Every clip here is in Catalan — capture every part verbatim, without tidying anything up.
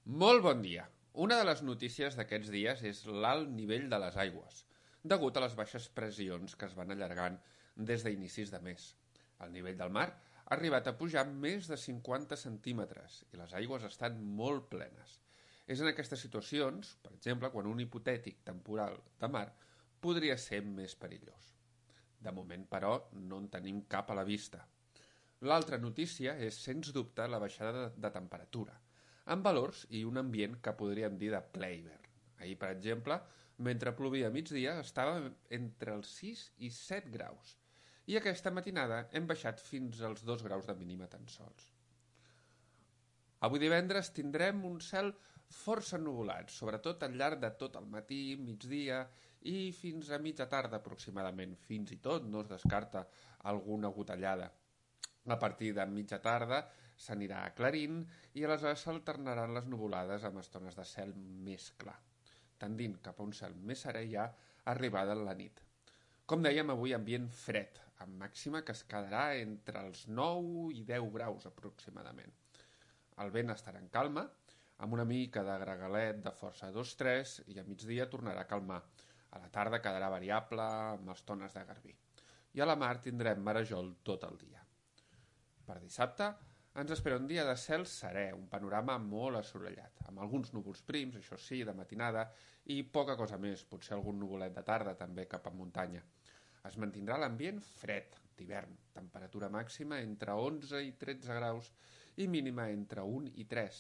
Molt bon dia. Una de les notícies d'aquests dies és l'alt nivell de les aigües, degut a les baixes pressions que es van allargant des d'inicis de mes. El nivell del mar ha arribat a pujar més de cinquanta centímetres i les aigües estan molt plenes. És en aquestes situacions, per exemple, quan un hipotètic temporal de mar podria ser més perillós. De moment, però, no en tenim cap a la vista. L'altra notícia és, sens dubte, la baixada de, de temperatura, amb valors i un ambient que podríem dir de ple hivern. Ahir, per exemple, mentre plovia a migdia, estava entre els sis i set graus, i aquesta matinada hem baixat fins als dos graus de mínima tan sols. Avui divendres tindrem un cel força ennuvolat, sobretot al llarg de tot el matí, migdia i fins a mitja tarda aproximadament. Fins i tot no es descarta alguna gotellada. A partir de mitja tarda s'anirà aclarint i aleshores s'alternaran les nuvolades amb estones de cel més clar, tendint cap a un cel més serè ja arribada la nit. Com dèiem, avui ambient fred, amb màxima que es quedarà entre els nou i deu graus aproximadament. El vent estarà en calma, amb una mica de gregalet de força dos tres i a migdia tornarà a calmar. A la tarda quedarà variable amb estones de garbí. I a la mar tindrem marejol tot el dia. Per dissabte ens espera un dia de cel serè, un panorama molt assolellat, amb alguns núvols prims, això sí, de matinada, i poca cosa més, potser algun nuvolet de tarda també cap a muntanya. Es mantindrà l'ambient fred, d'hivern, temperatura màxima entre onze i tretze graus i mínima entre un i tres.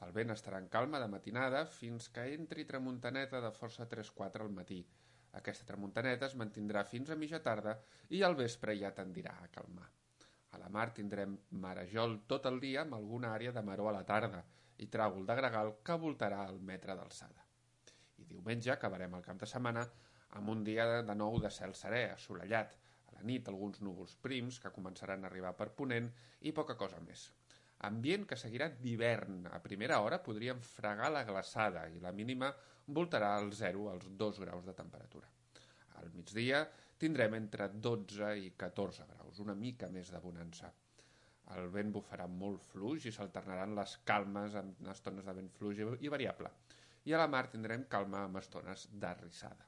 El vent estarà en calma de matinada fins que entri tramuntaneta de força tres quatre al matí. Aquesta tramuntaneta es mantindrà fins a mitja tarda i al vespre ja tendirà a calmar. A la mar tindrem marejol tot el dia amb alguna àrea de maror a la tarda i tràgol de gregal que voltarà el metre d'alçada. I diumenge acabarem el cap de setmana amb un dia de nou de cel serè, assolellat. A la nit alguns núvols prims que començaran a arribar per ponent i poca cosa més. Ambient que seguirà d'hivern. A primera hora podríem fregar la glaçada i la mínima voltarà al zero als dos graus de temperatura. Al migdia tindrem entre dotze i catorze graus, una mica més de bonança. El vent bufarà molt fluix i s'alternaran les calmes amb estones de vent fluix i variable. I a la mar tindrem calma amb estones d'arrissada.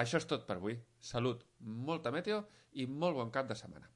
Això és tot per avui. Salut, molta meteo i molt bon cap de setmana.